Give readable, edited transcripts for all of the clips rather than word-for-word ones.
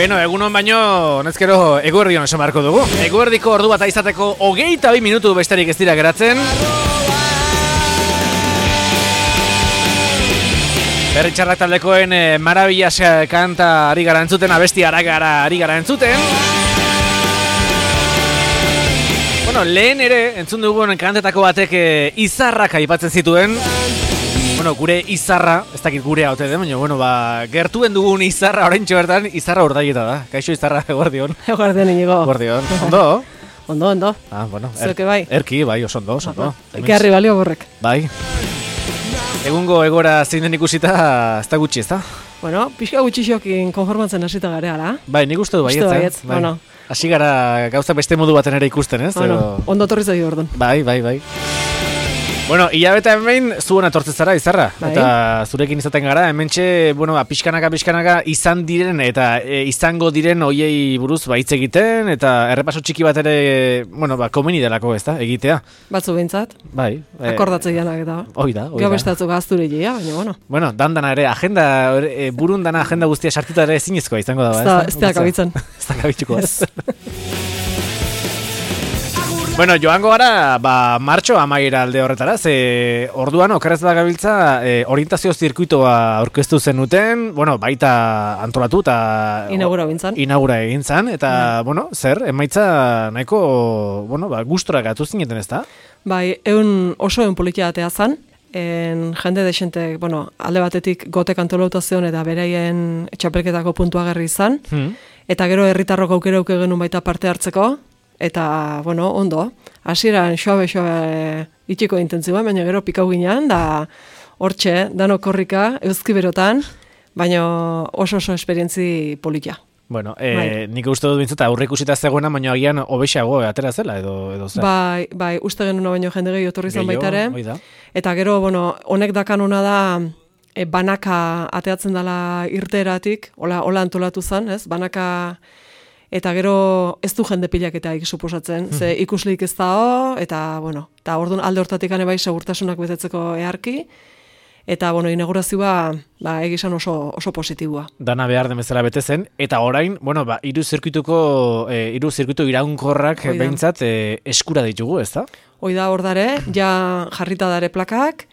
Beno, egunon baino, honezkero eguerdion esan beharko dugu. Eguerdiko ordu bat izateko 22 minutu besterik ez dira geratzen. Berri txarrak taldekoen Maravillas kanta ari gara entzuten, abesti ari gara entzuten. Bueno, lehen ere entzun dugun kantetako batek izarrak aipatzen zituen. Bueno, gure izarra, ez dakit gurea haute den, baina, gertuen dugun izarra oraintxe bertan, izarra urdaieta da. Kaixo izarra, eguerdion. Eguerdion, Inigo. Eguerdion. Ondo? Ondo. Ah, bueno. Zueke bai. Erki, bai, oso ondo. Eke harri balio borrek. Bai. Egungo egora zein den ikusita, ez da gutxi, ez da? Bueno, pixka gutxixokin konformatzen hasita gare, ala? Bai, nik uste du baietza. Bai. Bueno. Hasi gara gauza beste modu baten ere ikusten, ez? Bueno, ondo torri zaio orduan. Bai. Bueno, hilabeta hemen zuen atortzen zara, izarra. Bai. Eta zurekin izaten gara, hementxe, pixkanaka izan diren eta izango diren hoiei buruz hitz egiten, eta errepaso txiki bat ere, komeni delako, ez da, egitea. Batzu behintzat. Bai. Akordatzei janak eta. Hoi da. Gau bestatzuk azture baina, bueno. Bueno, dana ere, burun dana agenda guztia sartuta ere zinezkoa izango da, ez da kabitzen. Ez da kabitzuko, ez. Bueno, joango gara, martxo amaiera alde horretara, orduan okerrez da gabiltza orientazio zirkuitoa aurkeztu zenuten, baita antolatu eta inaugura egin zan, eta, emaitza nahiko, gustora gatu zineten, ez da? Bai, oso politia atea zan, jende desente, alde batetik gotek antolauta zion eta beraien txapelketako puntuagarri izan, eta gero herritarrok aukera genuen baita parte hartzeko, eta, ondo, hasieran xoabe itxiko intentzioa, baina gero pikau ginean, da hortxe, dano korrika, euskiberotan, baina oso esperientzi politia. Bueno, nik uste dut bintzat, aurre ikusita zegoena, baina agian hobexago atera zela, edo zer? Bai, uste genuen baino jende gehi otorri zan baitare, eta gero, honek dakanona da, banaka ateatzen dela irteeratik, hola antolatu zan, ez, banaka. Eta gero ez du jende pilaketaik suposatzen, ze ikuslik ez da, eta orduan alde hortatik bai segurtasunak betetzeko eharki, eta inaugurazioa egizan oso positibua. Dana behar den bezala bete zen, eta orain, hiru zirkuitu iraunkorrak behintzat eskura ditugu, ez da? Hoi da, hor dare, ja jarrita dare plakak,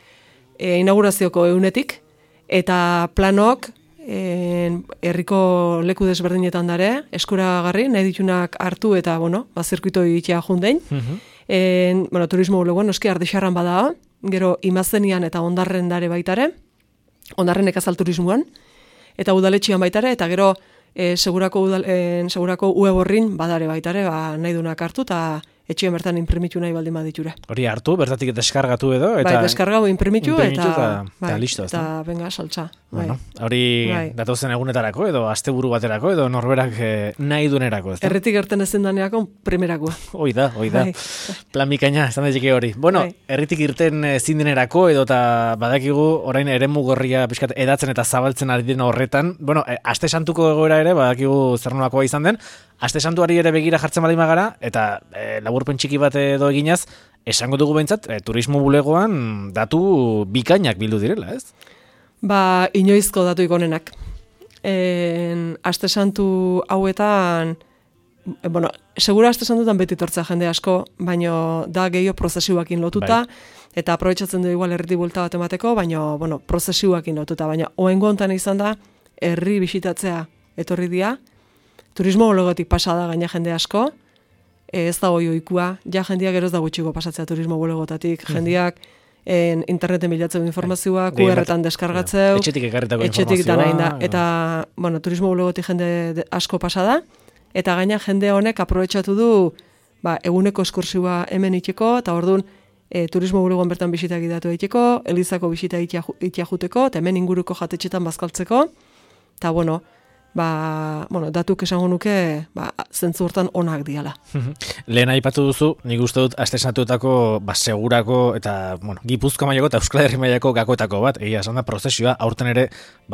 inaugurazioko eunetik, eta planok, herriko leku desberdinetan dare, eskuragarri, nahi ditunak hartu eta, zirkuito egitea jundein. Turismo bulegoan, noski ardexarran bada, gero imazenian eta ondarren dare baitare, ondarren ekazal turismoan, eta udaletxian baitare, eta gero segurako ueborrin badare baitare, nahi dunak hartu, eta etxean bertan imprimitu nahi baldin baditure. Hori hartu, bertatik deskargatu edo? Bai, deskargau imprimitu eta listo. Eta benga, saltza. Hori datozen egunetarako edo asteburu baterako edo norberak nahi dunerako, ez da? Erritik gerten ezen daneako primerakoa. Hoi da. Plan bikaina, esan daiteke hori. Erritik irten zindenerako edo eta badakigu orain eremu gorria pixkat edatzen eta zabaltzen ari den horretan. Aste santuko egoera ere, badakigu zer nolakoa izan den, aste santuari ere begira jartzen baldin bagara, eta laburpen txiki bat edo eginaz, esango dugu behintzat, turismo bulegoan datu bikainak bildu direla, ez? Inoizko datu ikonenak. Aste santu hauetan, segura aste santutan beti tortzea jende asko, baina da gehiago prozesioakin lotuta, eta aprobetxatzen du igual herriti buelta bat emateko, baina, prozesioakin lotuta, baina oengo hontan izan da, herri bisitatzea etorri dia, turismo bulegotik pasada gaina jende asko, ez da oikua, ja jendeak gero ez da gutxiko pasatzea turismo bulegotatik, jendeak interneten bilatzeu informazioa, QR-etan deskargatzeu, etxetik ekarritako informazioa, eta, turismo bulegotik jende asko pasada, eta gaina jende honek aprobetxatu du, eguneko eskursioa hemen itxeko, eta orduan, turismo bulegoan bertan bisita egitatu egiteko, Elizako bisita itia juteko, eta hemen inguruko jatetxetan bazkaltzeko, eta datuk esango nuke, zentzu hortan onak diala. Lehen aipatu duzu, nik uste dut aste santuetako segurako eta Gipuzkoa mailako eta Euskal Herri mailako gakoetako bat, egia esan da prozesioa, aurten ere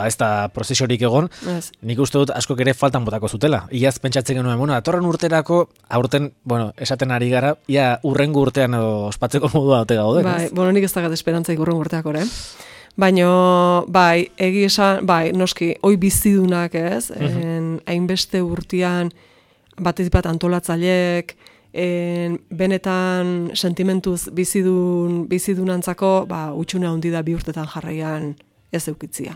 ez da prozesiorik egon, nik uste dut askok ere faltan botako zutela. Iaz pentsatzen genuen, datorren urterako, aurten, esaten ari gara, ia urrengo urtean ospatzeko modua ote gaude. Nik ez dakat esperantzaik urrengo urteako, Baina, bai, egi esan, bai, noski, hoi bizidunak, ez? Hainbeste urtean, batetik bat antolatzaileek, benetan sentimentuz bizidunantzako, utxune handi da 2 urtetan jarraian ez eukitzia.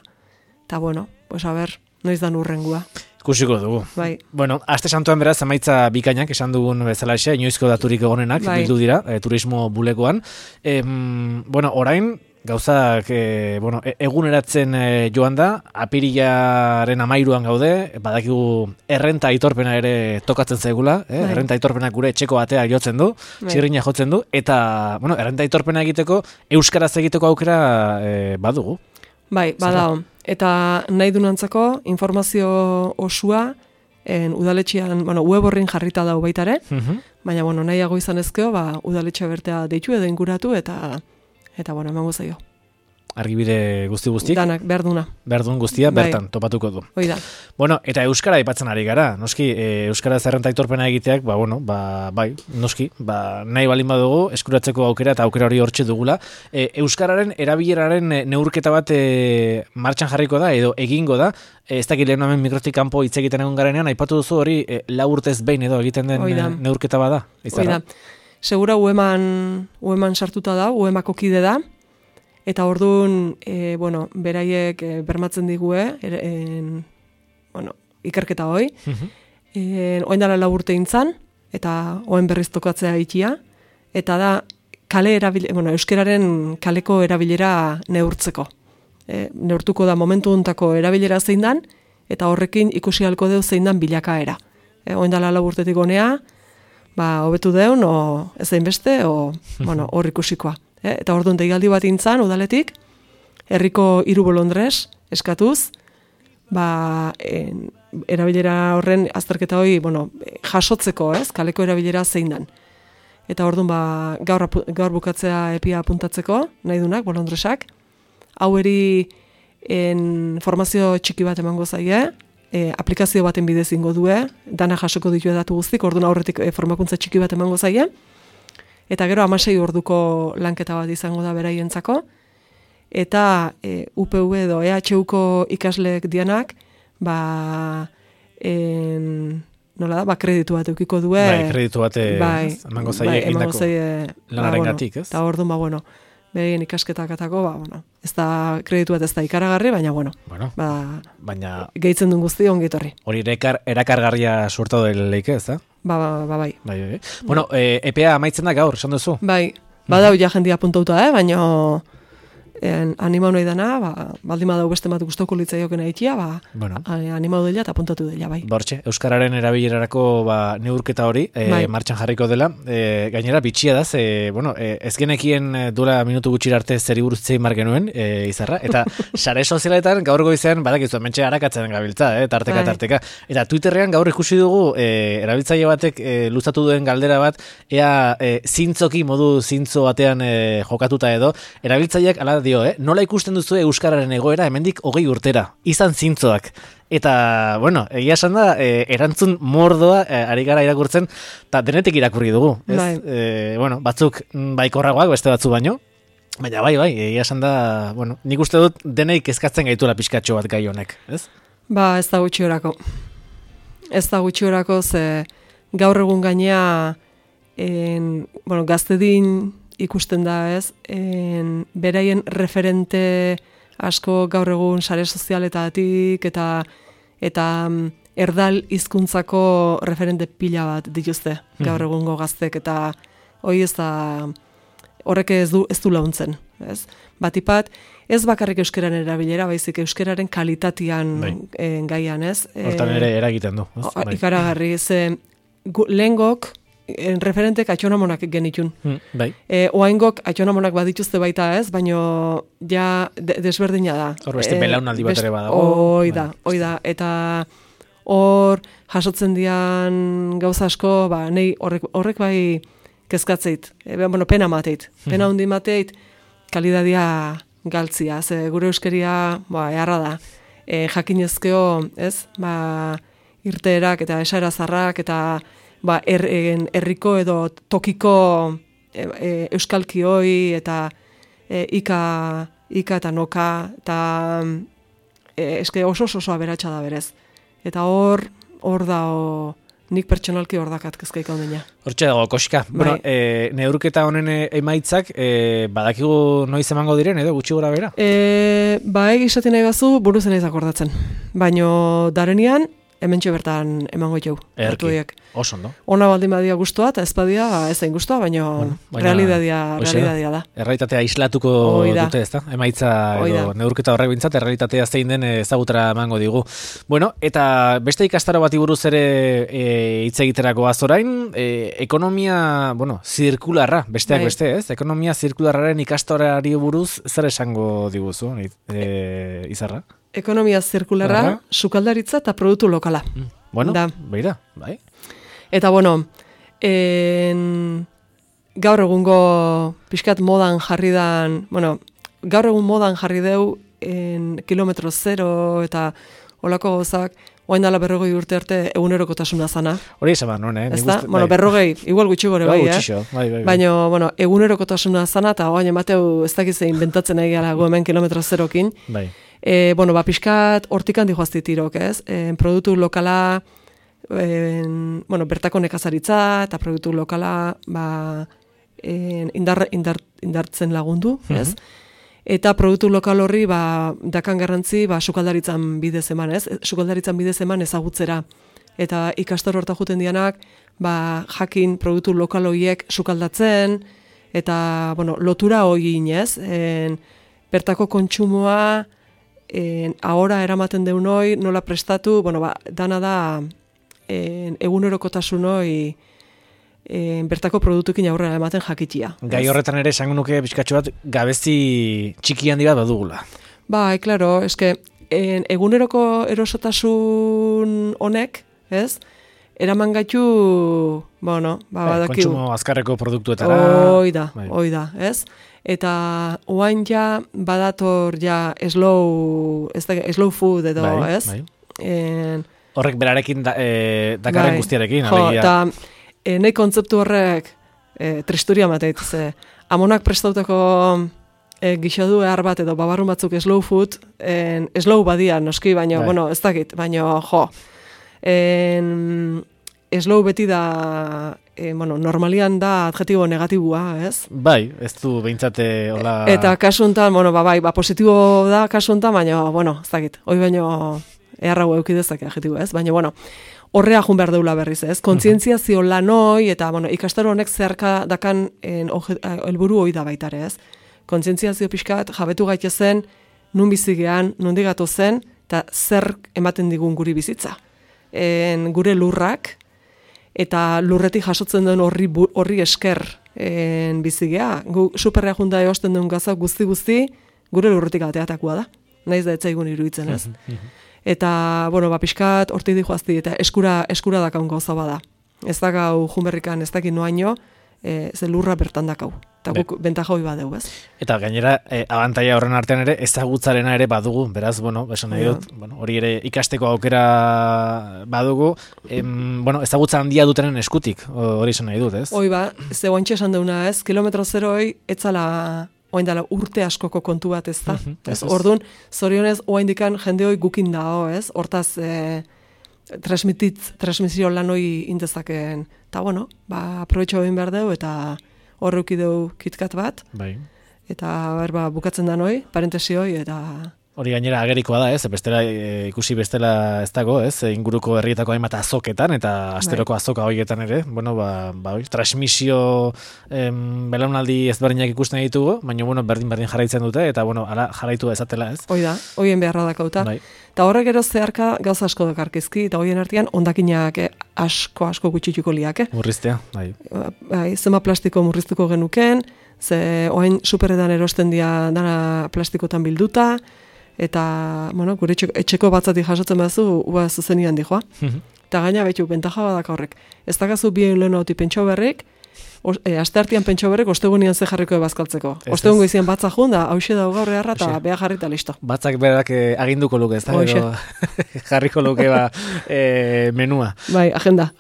Eta bueno, pues a ber, noiz da urrengua. Ikusiko dugu. Bai. Bueno, aste santuan beraz emaitza bikainak esan dugun bezalaxe, inoizko daturik egonenak bildu dira, turismo bulegoan. Bueno, orain gauzak eguneratzen joan da, apirilaren 13an gaude, badakigu errenta aitorpena ere tokatzen zaigula, errenta aitorpena gure etxeko batea jotzen du, txirrina jotzen du, eta errenta aitorpena egiteko, euskaraz egiteko aukera badugu. Bai, badao. Eta nahi dunantzako informazio osua udaletxean, web horrin jarrita dau baita ere, baina nahiago izan ezkeo, udaletxea bertea deitu edo inguratu eta emango zaio. Argibide guzti-guztik? Danak, berduna. Berdun guztia, bertan, topatuko du. Hoi da. Bueno, eta euskara aipatzen ari gara, noski, euskara zerrenta aitorpena egiteak, bai, noski, nahi balin badugu, eskuratzeko aukera eta aukera hori hortxe dugula. Euskararen erabileraren neurketa bat martxan jarriko da, edo egingo da, ez dakit lehen hemen mikrotik kanpo hitz egiten egon garenean, aipatu duzu hori 4 urtez behin edo egiten den neurketa bada? Hoi da. Segura ueman sartuta da, uemako kide da, eta orduan, beraiek bermatzen digue, ikerketa hoi, oen dala 4 urte intzan, eta oen berriz tokatzea ikia, eta da, euskeraren kaleko erabilera neurtzeko. Neurtuko da momentu untako erabilera zein dan, eta horrekin ikusi halko deu zein dan bilakaera. Oen dala 4 urtetik gonea, hobetu deun, o ez zain beste, hor ikusikoa. Eta orduan deialdi bat intzan, udaletik, herriko 3 bolondrez, eskatuz, erabilera horren azterketa hori, jasotzeko, kaleko erabilera zein dan. Eta orduan, gaur bukatzea epia apuntatzeko, nahi dunak, bolondrezak, hau eri formazio txiki bat emango zaie, aplikazio baten bidez ingo due, dana jasoko ditu datu guztik, orduan aurretik formakuntza txiki bat emango zaie, eta gero 16 orduko lanketa bat izango da beraientzako, eta UPV edo EHUko ikasleek dianak, kreditu bat eukiko due. Kreditu bat emango zaie egindako lanarengatik, ez? Eta orduan, beraien ikasketak atako, ez da kreditu bat ez da ikaragarri, baina, baina gehitzen duen guzti ongitorri. Hori erakargarria suertatu leike, ez da? Bai. Bueno, EPA amaitzen da gaur, esan duzu? Bai, badau ja jendia apuntauta, baina animau nahi dana, baldin badau beste bat gustoko litzaioken aitia, animau dela eta apuntatu dela, bai. Bortxe, euskararen erabilerarako neurketa hori, martxan jarriko dela, gainera bitxia da, ez genekien duela minutu gutxira arte zeri buruz zein margenuen, izarra, eta sare sozialetan gaur goizean, badakizu, mentxe harakatzen gabiltza, tarteka. Eta Twitterrean gaur ikusi dugu, erabiltzaile batek luzatu duen galdera bat, ea zintzoki modu zintzo batean jokatuta edo, erabiltzaileak ala nola ikusten duzu euskararen egoera hemendik 20 urtera, izan zintzoak. Eta, egia esan da, erantzun mordoa ari gara irakurtzen, eta denetik irakurri dugu. Batzuk baikorragoak, beste batzu baino, baina bai, egia esan da, nik uste dut deneik kezkatzen gaituela pixkatxo bat gai honek, ez? Ez da gutxiorako. Ez da gutxiorako, ze gaur egun gainea, gaztedin ikusten da, ez? Beraien referente asko gaur egun sare sozialetatik eta erdal hizkuntzako referente pila bat dituzte gaur egungo gaztek, eta hori ez da, horrek ez du launtzen, ez? Batipat, ez bakarrik euskararen erabilera, baizik euskararen kalitatian gaian, ez? Hortan ere eragiten du. Ikaragarri, lehengok referentek atxonamonak genitun. Oaingok atxonamonak badituzte baita, ez? Baina ja desberdina da. Hor beste belaunaldi bat ere badago. Hoi da. Eta hor jasotzen dian gauza asko, nei horrek bai kezkatzeit. Pena mateit. Pena hundi mateit, kalidadia galtzia. Gure euskeria, eharra da. Jakinezkeo, ez? Irteerak eta esaera zarrak eta herriko edo tokiko euskalkioi eta ika ika eta noka, eta eske oso aberatsa da berez. Eta hor da, nik pertsonalki hor dakat kezkaik ondina. Hortxe dago, koxka. Bueno, neurketa honen emaitzak, badakigu noiz emango diren, edo gutxi gora bera? Egizatik nahi bazu, buruzen ez akordatzen. Baino, darenian, hementxe bertan emango jau. Erki, oso ondo. Ona baldin badia guztua, eta ez badia ez zain guztua, baina realidadia da. Errealitatea islatuko dute, ez da? Emaitza edo neurketa horrek bintzat, errealitatea zein den ezagutara emango digu. Bueno, eta beste ikastaro bati buruz ere hitz egiterako azorain, ekonomia, zirkularra, besteak beste, ez? Ekonomia zirkularraren ikastorari buruz zer esango diguzu, Izarra? Ekonomia zirkularra, sukaldaritza eta produktu lokala. Bueno, beira, bai. Eta gaur egungo pixkat modan jarri dan, gaur egun modan jarri deu kilometro zero eta olako gozak, oain dala 40 urte arte egunerokotasuna zana. Hori esan non, Ezta? 40, igual gutxi gore bai, Baina, egunerokotasuna zana, eta oain emateu ez dakizein bentatzen nahi gara hemen kilometro zerokin. Bai. Pixkat hortik handi joazti tirok, ez? Produktu lokala, bertako nekazaritza, eta produktu lokala, indartzen lagundu, ez? Eta produktu lokal horri, dakan garrantzi, sukaldaritzan bidez eman, ez? Sukaldaritzan bidez eman ezagutzera. Eta ikastor horta juten dianak, jakin produktu lokal horiek sukaldatzen, eta, lotura hori inez, bertako kontsumoa, ahora eramaten deun hoi, nola prestatu, dana da egunerokotasun hoi bertako produktukin aurrera ematen jakitia. Gai horretan ere esango nuke bizkatxo bat gabezi txiki handi bat badugula. Bai, klaro, eske eguneroko erosotasun honek, ez? Eraman gaitu, badakiu. Kontsumo azkarreko produktuetara. Hoi da, ez? Eta oain ja badator ja slow food edo, ez? Bai. Horrek berarekin dakarren guztiarekin. Eta nahi kontzeptu horrek tristuria mateit, amonak prestautako gixodu behar bat edo babarrun batzuk slow food, slow badia noski, baina, ez dakit, baina, slow beti da, normalian da adjetibo negatibua, ez? Bai, ez du behintzate hola... Eta kasuntan, positibo da kasuntan, baina, ez dakit, hoi baino eharrago eukidezak adjetibo, ez? Baina, horrea jun behar deula berriz, ez? Kontzientziazio lan hoi, eta, ikastaro honek zeharka dakan helburu hoi da baitare, ez? Kontzientziazio pixkat, jabetu gaitezen, nun bizigean, nundi gatu zen, eta zer ematen digun guri bizitza. Gure lurrak, eta lurretik jasotzen duen horri esker bizigea. Gu superrea junta eosten duen gaza guzti, gure lurretik ateatakoa da. Naiz da etzaigun iruditzen, ez? Eta, pixkat, hortik dihoazti, eta eskura dakaun gauza bada. Ez dakau junberrikan, ez dakin noaino, ze lurra bertan dakau. Eta guk bentaja hoi badeu, ez? Eta gainera, abantaia horren artean ere, ezagutzarena ere badugu, beraz, esan nahi dut, hori ere ikasteko aukera badugu, ezagutza handia dutenen eskutik, hori esan nahi dut, ez? Hoi ze oantxe esan deuna, ez? Kilometro zeroi, etzala, oain dala urte askoko kontu bat, ez da? Orduan, zorionez, oain dikan jende hoi gukin dao, ez? Hortaz, transmisio lan hoi indezakeen. Eta, aprobetxo egin behar dugu, eta horreuki dugu kitkat bat. Bai. Eta, bukatzen da noi, parentesi hoi, eta... Hori gainera agerikoa da, ez? Bestela, ikusi bestela ez dago, ez? Inguruko herrietako hainbat azoketan, eta asteroko azoka horietan ere, transmisio belaunaldi ezberdinak ikusten ditugu, baina, berdin jarraitzen dute, eta, ala jarraitu ezatela, ez? Hoi da, hoien beharra dakauta. Bai. Eta horrek gero zeharka gauza asko dakarkizki, eta hoien artean ondakinak asko gutxituko liake. Murriztea, bai. Zema plastiko murriztuko genuken, ze oain superetan erosten dira dana plastikotan bilduta, eta, gure etxeko batzati jasotzen bazu, zuzenian dijoa. Eta gaina betu, bentaja badak horrek. Ez dakazu bien lehen hauti pentso berrik, asteartean pentso berrek ostegunean ze jarriko bazkaltzeko. Ostegun goizian batza jun da, hauxe da gaur erra eta beha jarrita listo. Batzak berak aginduko luke, ez da? Jarriko luke menua. Bai, agenda.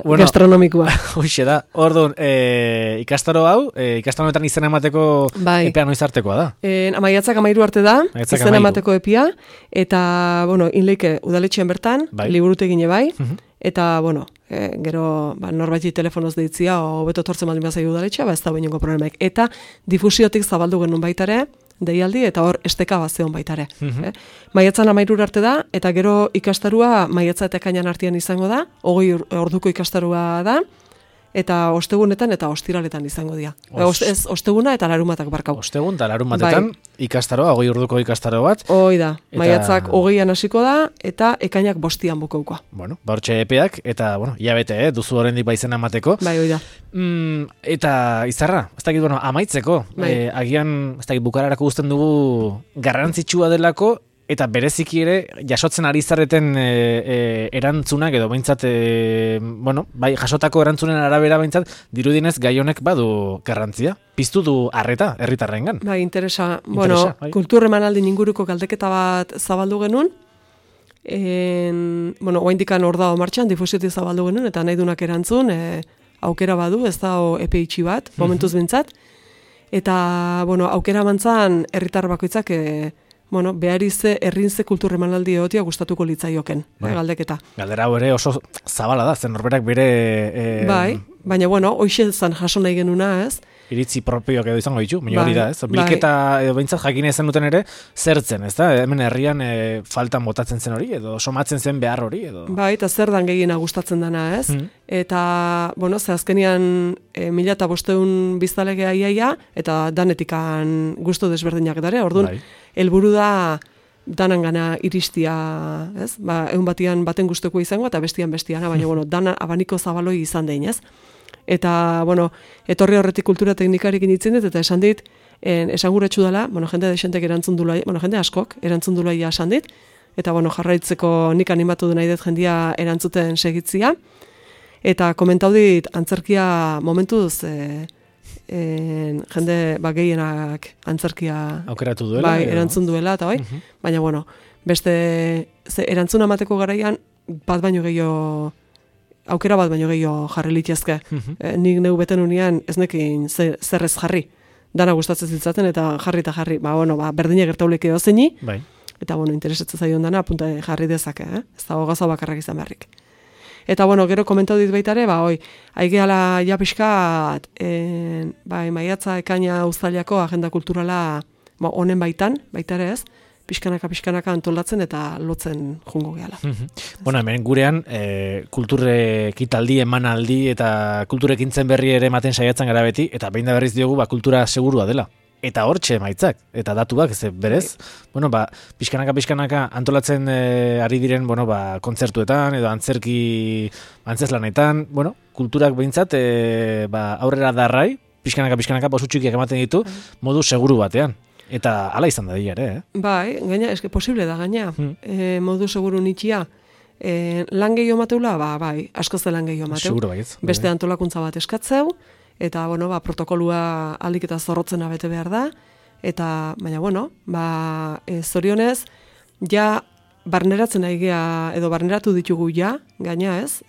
Bueno, gastronomikoa. Hoxe da. Orduan, ikastaro hau, ikastaroetan izena emateko epea noiz artekoa da? Maiatzak 13 arte da, izena emateko epia, eta, bueno, inleike udaletxean bertan, liburutegine bai, eta, bueno, gero norbaiti telefonoz deitzia, o beto tortzen baldin bazai udaletxea, ez da bainoko problemaik. Eta difusiotik zabaldu genuen baitare, deialdi, eta hor esteka bazeon baitare. Maiatzan 13 arte da, eta gero ikastarua maiatza eta ekainan artean izango da, 20 orduko ikastarua da, eta ostegunetan eta ostiraletan izango dira. Osteguna eta larumatak barkau. Ostegun eta larumatetan ikastaroa, 20 orduko ikastaro bat. Hoi da, maiatzak 20an hasiko da, eta ekainak 5an bukaukoa. Bueno, hortxe epeak, eta, bueno, ia bete, duzu horrendik baizena emateko. Bai, hoi da. Eta, Izarra, ez dakit, bueno, amaitzeko, agian, ez dakit, bukararako guzten dugu garrantzitsua delako, eta bereziki ere, jasotzen ari zareten erantzunak, edo behintzat, bueno, bai, jasotako erantzunen arabera behintzat, dirudinez gai honek badu garrantzia. Piztu du arreta, herritarrengan. Bai, interesa. Bueno, kultur emanaldin inguruko galdeketa bat zabaldu genuen, bueno, oaindikan hor dago martxan, difusiotik zabaldu genuen, eta nahi dunak erantzun, aukera badu, ez da epe itxi bat, momentuz bintzat, eta, bueno, aukera mantzan herritar bakoitzak, bueno, beharize errinze kultur emanaldi egotia gustatuko litzaioken, galdeketa. Galdera hau ere oso zabala da, zen norberak bere... Bai, baina, bueno, hoxe zan jaso nahi genuna, ez? Iritzi propioak edo izango ditu, baina hori da, ez? Bilketa edo behintzat jakin ezen duten ere, zertzen, ez da? Hemen herrian faltan botatzen zen hori, edo somatzen zen behar hori, edo... Bai, eta zer dan gehiena gustatzen dana, ez? Eta, bueno, ze azkenian 1500 biztalegea iaia, eta danetikan gustu desberdinak dare, orduan, helburu da danan gana iristia, ez? Egun baten gustuko izango eta bestiana, baina, bueno, dana abaniko zabaloi izan dein, ez? Eta, bueno, etorri horretik kultura teknikarekin itzen dut, eta esan dit, esanguratsu dela, bueno, jende desentek erantzun dula, bueno, jende askok erantzun dula esan dit, eta, bueno, jarraitzeko nik animatu du nahi dut jendia erantzuten segitzia, eta komentau dit, antzerkia momentuz, jende gehienak antzerkia aukeratu duela, bai, erantzun duela, eta bai, baina, bueno, beste, erantzun amateko garaian, aukera bat baino gehiago jarri litezke. Nik neu beten unian ez nekin zerrez jarri. Dana gustatzen zitzaten eta jarri. Bueno, berdine gertauleke dozeini. Bai. Eta, bueno, interesatzen zaion dana, apunta jarri dezake, Ez da gaza bakarrak izan beharrik. Eta, bueno, gero komentau dit baitare, aigeala ja pixkat, maiatza ekaina uztailako agenda kulturala honen baitare ez, pixkanaka antolatzen eta lotzen jungo gehala. Bueno, hemen gurean, kulturekitaldi, emanaldi eta kulturekintzen berri ere ematen saiatzen gara beti, eta behin da berriz diogu, kultura segurua dela. Eta hortxe emaitzak, eta datuak, ez berez, bueno, pixkanaka antolatzen ari diren, bueno, kontzertuetan, edo antzeslanetan, bueno, kulturak behintzat, aurrera darrai, pixkanaka posutxukiak ematen ditu, modu seguru batean. Eta hala izan da dira, Bai, gaina, eske posible da, gaina. Modu seguru nitxia. Lan gehiago mateula, bai, askoz de lan gehiago mateu. Seguro baietz. Beste antolakuntza bat eskatzeu, eta, bueno, protokolua aldik eta zorrotzena bete behar da, eta, baina, bueno, zorionez, ja, barneratzen aigea, edo barneratu ditugu ja, gaina ez,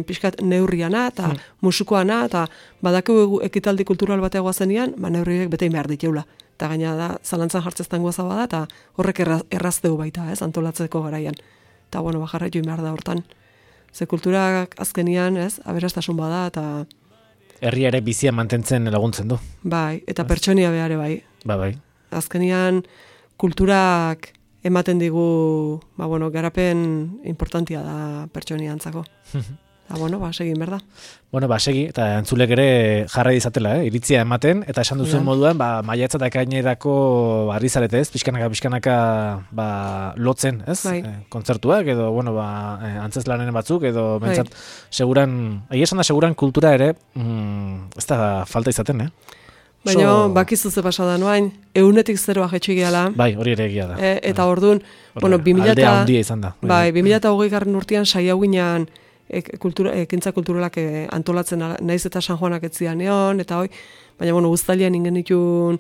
pixkat neurriana, eta musikoana, eta badakegu ekitaldi kultural bateagoa zenian, neurriek betein behar diteula. Eta gaina da, zalantzan jartzeztan guaza bada, eta horrek errazteu baita, ez, antolatzeko garaian. Eta, bueno, jarraitu behar da hortan. Ze kulturak azkenian, ez, aberastasun bada, eta... Herria ere bizia mantentzen laguntzen du. Bai, eta pertsonia behare bai. Bai. Azkenian, kulturak ematen digu, garapen importantia da pertsonia antzako. Eta, bueno, segin, berda. Bueno, segi, eta entzulek ere jarra izatela, iritzia ematen, eta esan duzuen moduan, maiatza eta ekainerako arrizarete, ez? Pixkanaka, lotzen, ez? Bai. Kontzertuak, edo, bueno, antzeslanen batzuk, edo, bentsat, seguran, esan da seguran kultura ere, ez da falta izaten, Baina, bakizu ze pasada noain, 100-0 jetxu gehala. Bai, hori ere egia da. Eta orduan, bueno, 2000... Aldea handia izan da. Bai, 2020 urtean saia guinean ekintza kulturalak antolatzen naiz eta San Juanak etzian egon, eta baina bueno, uztailean ingen ditun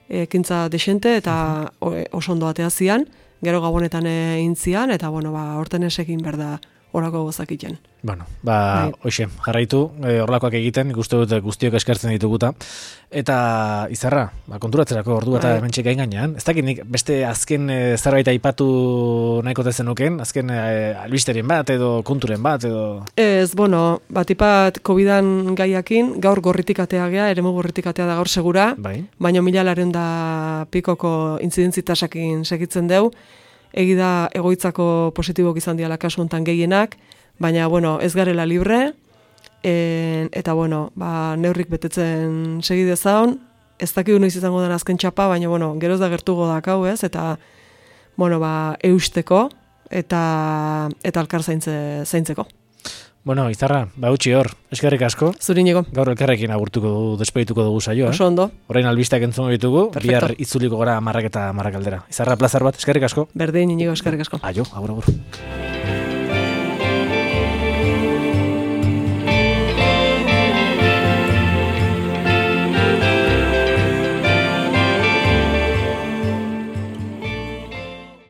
ekintza desente eta oso ondo atea zian, gero gabonetan intzian, eta bueno, horten esekin berda horako gozakiten. Bueno, hoxe, jarraitu, horlakoak egiten, ikuste dut guztiok eskertzen dituguta. Eta Izarra, konturatzerako ordu eta hemen txeka ingainan. Ez dakit nik beste azken zerbait aipatu nahiko tezenuken, azken albisterien bat edo konturen bat edo... Ez, bueno, batipat COVID-an gaiakin, gaur gorritik atea gea, eremu gorritik atea da gaur segura, baina 1.000 pikoko intzidentzitasakin segitzen deu, egida egoitzako positibok izan diala kasu hontan gehienak, baina, bueno, ez garela libre, eta, bueno, neurrik betetzen segi dezaun, ez dakidu noiz izango den azken txapa, baina, bueno, geroz da gertugo dakau, ez, eta, bueno, eusteko, eta alkar zaintzeko. Bueno, Izarra, utzi hor, eskerrik asko. Zuriñego. Gaur elkarrekin despedituko dugu saioa. Oso ondo. Orain albisteak entzungo ditugu, bihar itzuliko gara 10 eta 10 aldera. Izarra, plazar bat, eskerrik asko. Berdin, Inigo, eskerrik asko. Aio, agur.